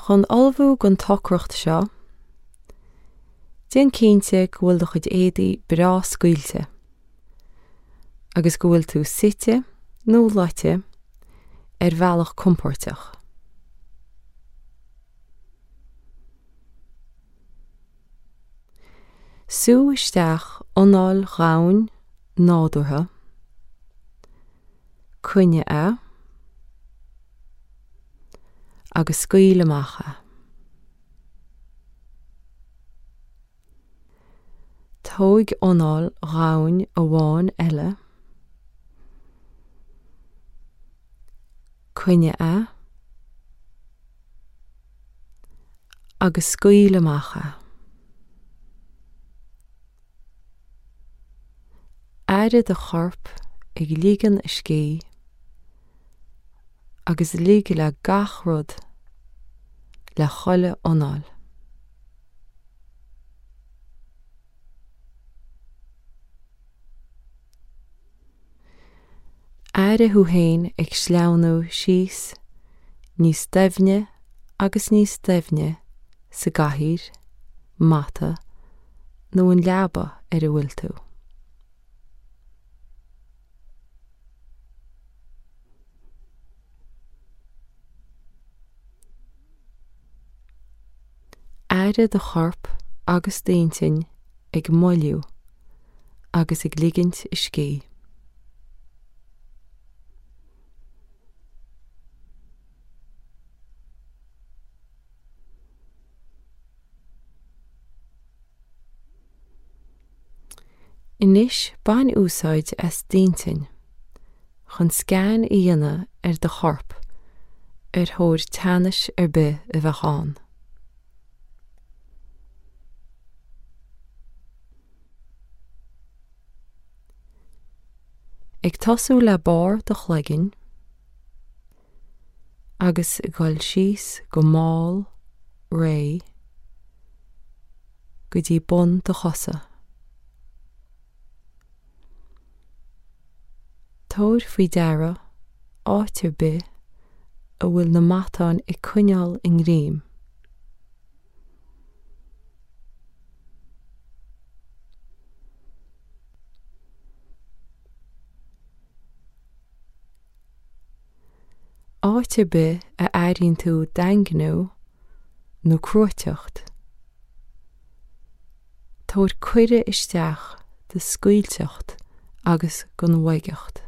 Chun ullmhú don tsocracht seo, déan cinnte go bhfuil do chuid éadaí breá scaoilte agus go bhfuil tú suite nó luite ar bhealach compóirteach. Sú isteach anáil dhomhain nádúrtha, coinnigh é agus scaoil amach é. Tóig anáil dhomhain amháin eile, coinnigh é agus scaoil amach é. Airigh do chorp ag ligean a scíth agus lig le gach rud le chuile anáil. Airigh thú féin ag sleamhnú síos níos doimhne agus níos doimhne sa gcathaoir, mata nó an leaba ar a bhfuil tú. Airigh do chorp agus d'intinn ag moilliú agus ag ligint a scíth. Anois bain úsáid as d'intinn chun scan a dhéanamh ar do chorp ar thóir teannais ar bith a bheadh ann. Ag tosú le barr do chloiginn agus ag dul síos go mall réidh go dtí bun do chosa. Tabhair faoi deara áit ar bith a bhfuil na matáin ag coinneáil a ngreim. Áit ar bith a airíonn tú daingniú nó cruaiteacht, tabhair cuireadh isteach do scaoilteacht agus don bhoigeacht.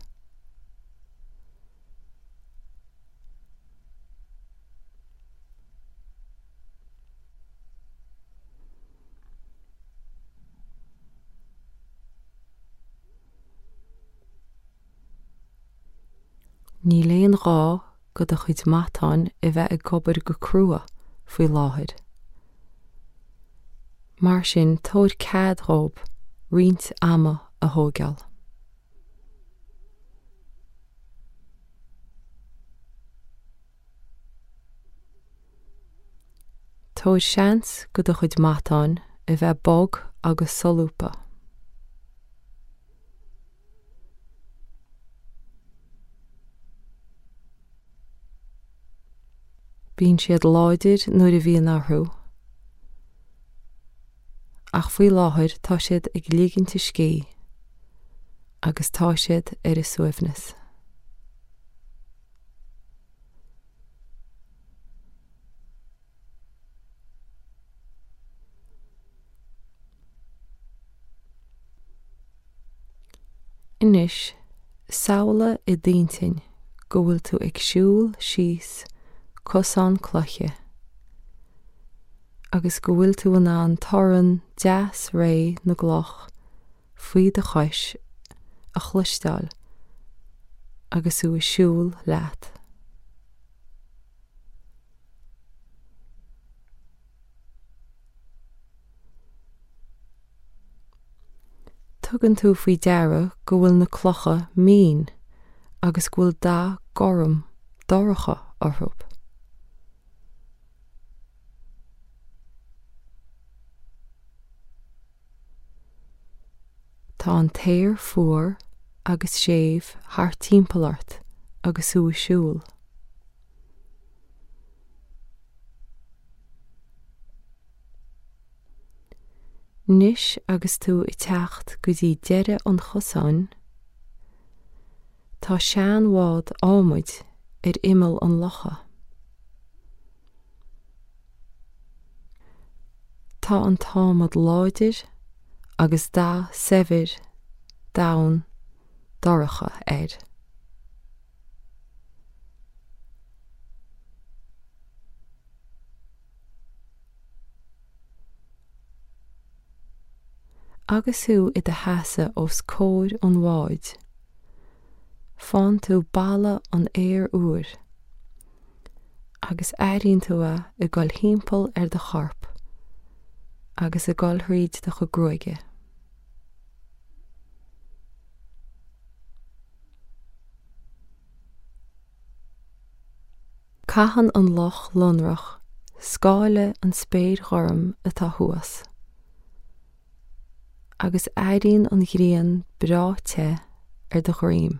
Níl aon ghá go do chuid matáin a bheith ag obair go crua faoi láthair. Mar sin tabhair cead dhóibh roinnt ama a thóigeáil. Tabhair seans go do chuid matáin a bheith bog agus solúbtha. Bíonn siad láidir nuair a bhíonn orthu, ach faoi láthair tá siad ag ligint a scíth agus tá siad ar a suaimhneas. Anois, samhlaigh i d'intinn go bhfuil tú ag siúl síos cosán cloiche agus go bhfuil tú in ann torann deas réidh na gcloch faoi do chois a chloisteáil agus tú ag siúl leat. Tugann tú faoi deara go bhfuil na clocha mín agus go bhfuil dath gorm dorcha orthu. Tá an t-aer fuar agus séimh thart timpeall ort agus thú ag siúl. Anois agus tú ag teacht go dtí deireadh an chosáin, tá seanbhád adhmaid ar imeall an locha. Tá an t-adhmad láidir agus dath saibhir donn dorcha air. Agus thú i do sheasamh os comhair an bháid, faigheann tú boladh an aeir úir agus airíonn tú é ag dul thimpeall ar do chorp agus ag dul thríd do chuid gruaige. Caitheann an loch lonrach scáile an spéir ghorm atá thuas, agus éiríonn an ghrian breá te ar do dhroim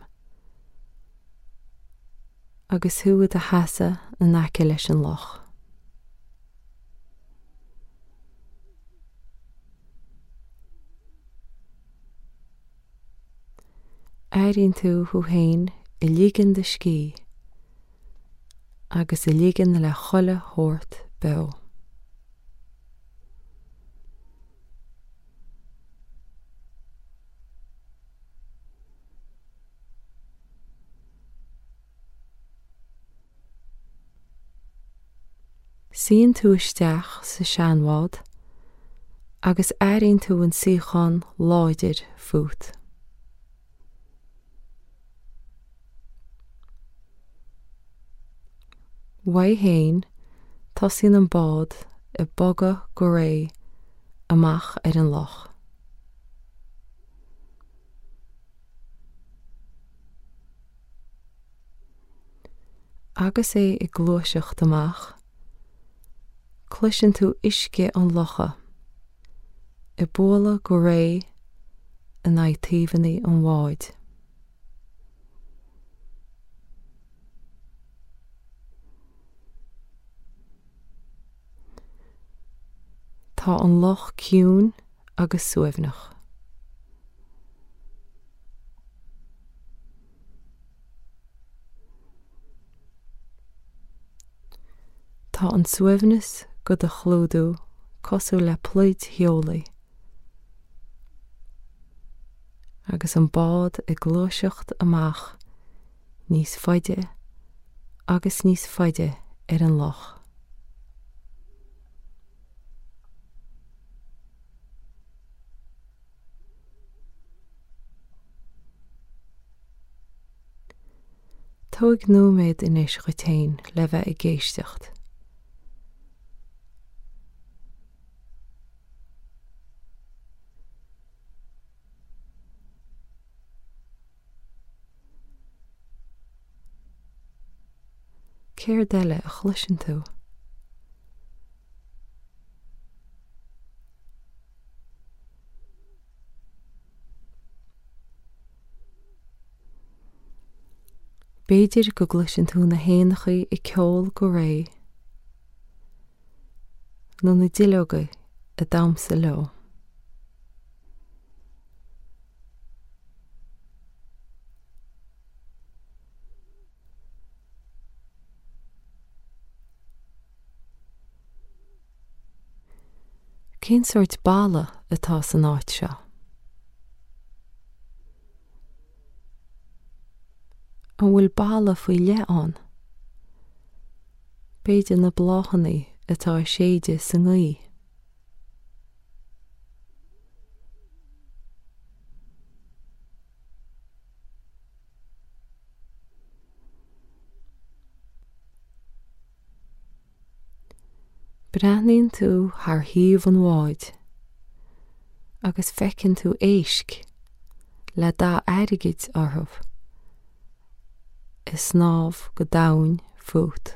agus thú i do sheasamh in aice leis an loch. Airíonn tú thú féin ag ligean do scíth agus ag ligean le chuile shórt beo. Suíonn tú isteach sa seanbhád agus airíonn tú an suíochán láidir fút. Uaidh féin, tosaíonn an bád ag bogadh go réidh amach ar an loch. Agus é ag gluaiseacht amach, cloiseann tú uisce an locha ag bualadh go réidh in aghaidh taobhanna an bháid. Tá an loch ciúin agus suaimhneach. Tá an suaimhneas do do chlúdú cosúil le pluid theolaí agus an bád ag gluaiseacht amach níos faide agus níos faide ar an loch. Tóg nóiméad anois dhuit féin le bheith ag éisteacht. Céard eile a chloiseann tú? B'fhéidir go gcloiseann tú na héanachaí ag ceol go réidh nó na duilleoga ag damhsa leo. Cén sórt boladh atá san áit seo? An bhfuil boladh faoi leith ann? B'fhéidir na bláthanna atá ag séideadh sa ngaoth. Breathnaíonn tú thar thaobh an bháid agus feiceann tú éisc le dath airgid orthu ag snámh go domhain fút.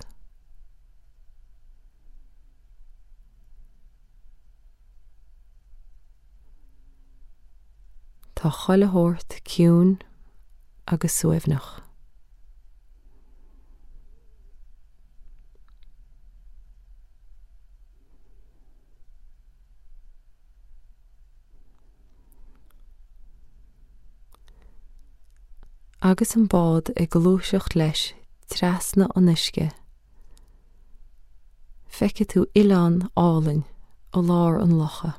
Tá chuile shórt ciúin agus suaimhneach. Agus an bád ag gluaiseacht leis trasna an uisce, feicfidh tú oileán álainn i lár an locha.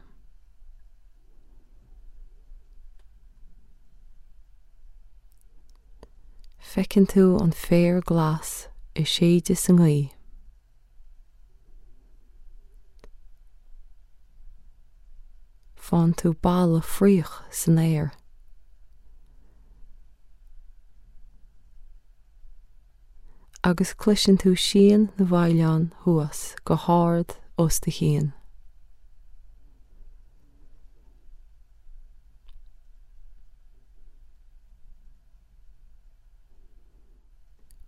Feiceann tú an féar glas ag séideadh sa ngaoth. Faigheann tú boladh fraoich san aer. Agus cloiseann tú síon na bhfaoileán thuas go hard os do chionn.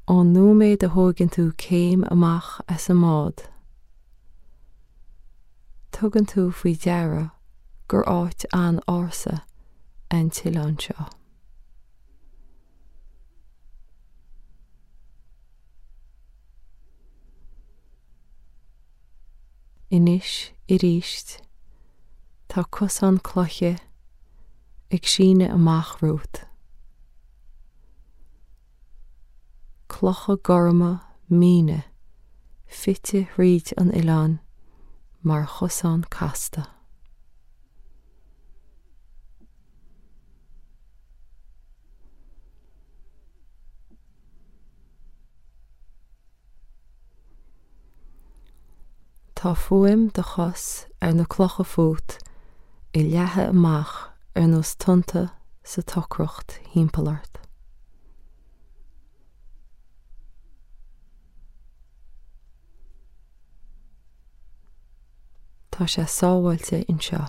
Ón nóiméad a thóigeann tú céim amach as an mbád, tugann tú faoi deara gur áit an-ársa an t-oileán seo. Anois aríst, tá cosán cloiche ag síneadh amach romhat. Clocha gorma míne fite thríd an oileán mar chosán casta. Tá fuaim do chos ar na clocha fút ag leathadh amach ar nós tonnta sa tsocracht thimpeall ort. Tá sé sábháilte anseo.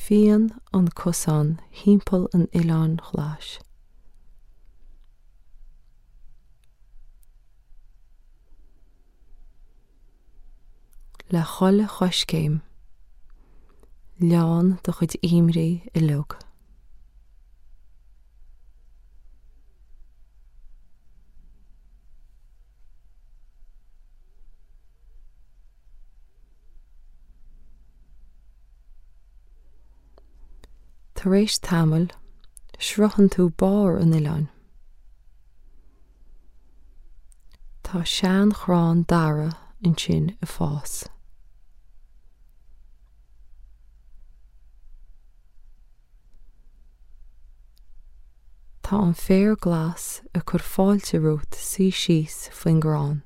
Fíonn an cosán thimpeall an oileáin ghlais. Le chuile choiscéim, leánn do chuid imní uilig. Tar éis tamaill, sroicheann tú barr an oileáin. Tá seanchrann dara ansin ag fás. Tá an féar glas ag cur fáilte romhat suí síos faoin gcrann.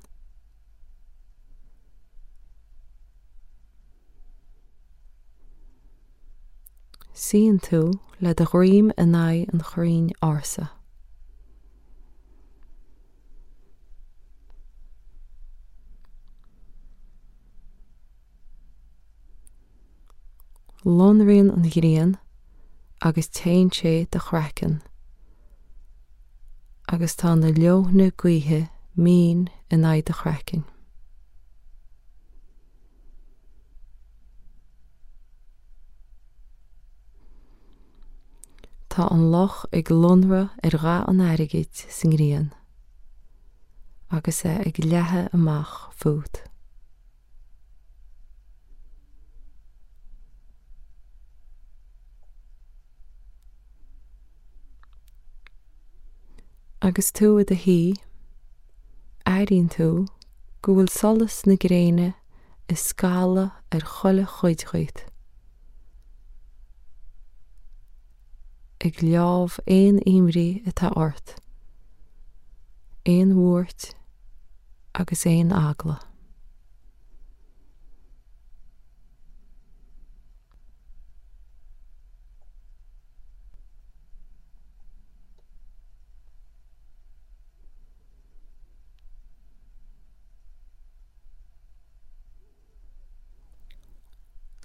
Suíonn tú le do dhroim in aghaidh an chrainn ársa. Lonraíonn an ghrian agus téann sé do chraiceann agus tá na leoithne gaoithe mín in aghaidh do chraicinn. Tá an loch ag lonradh ar dhath an airgid sa ngrian agus é ag leathadh amach fút. Agus tú i do shuí, airíonn tú go bhfuil solas na gréine ag scalladh ar chuile chuid dhíot, ag leámh aon imní atá ort, aon bhuairt agus aon eagla.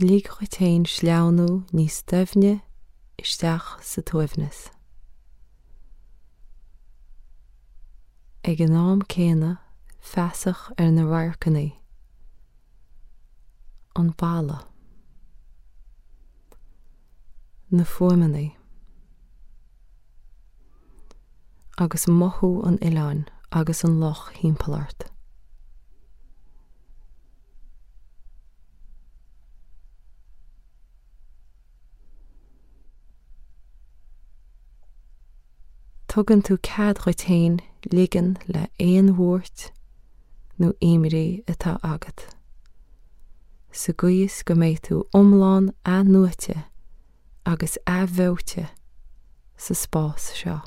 Lig dhuit féin sleamhnú níos doimhne isteach sa tsuaimhneas. Ag an am céanna feasach ar na radharcanna, an boladh, na fuaimeanna agus mothú an oileáin agus an loch thimpeall ort. Tugann tú cead dhuit féin ligean le aon bhuairt nó imní atá agat, sa gcaoi is go mbeidh tú iomlán athnuaite agus athbheoite sa spás seo.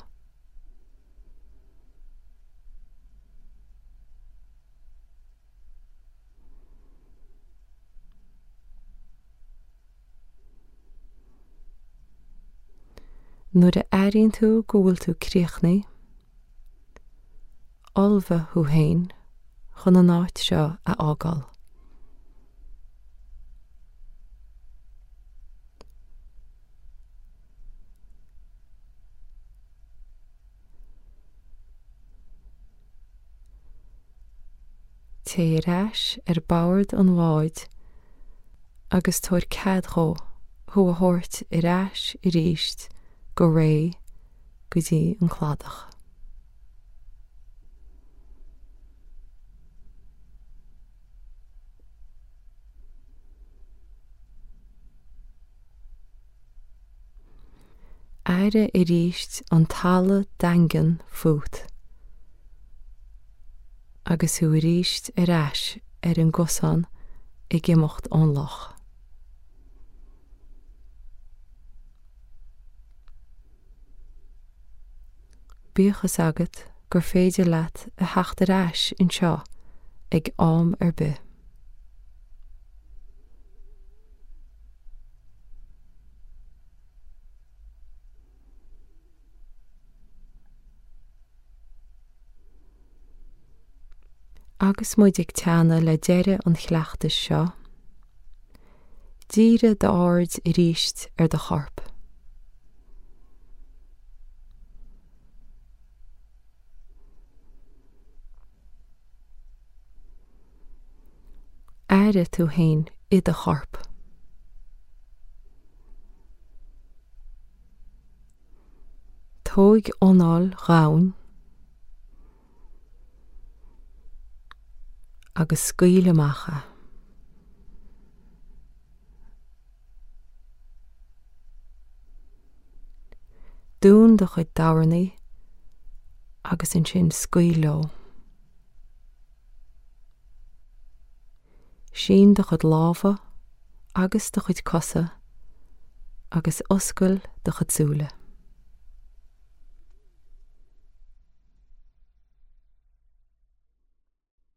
Nuair a airíonn tú go bhfuil tú críochnaithe, ullmhaigh thú féin chun an áit seo a fhágáil. Téigh ar ais ar bord an bháid agus tabhair cead dhó thú a thabhairt ar ais arís go réidh go dtí an cladach. Airigh arís an talamh daingean fút agus thú arís ar ais ar an gcosán ag imeacht ón loch. Bíodh fhios agat gur féidir leat a theacht ar ais anseo ag am ar bith. Agus muid ag teannadh le deireadh an chleachtais seo, dírigh d'aird arís ar do chorp. Airigh tú féin i do chorp. Tóig anáil dhomhain agus scaoil amach é. Dún do chuid dobharnaí agus ansin scaoil leo. Sín do chuid lámha agus do chuid cosa agus oscail do chuid súile.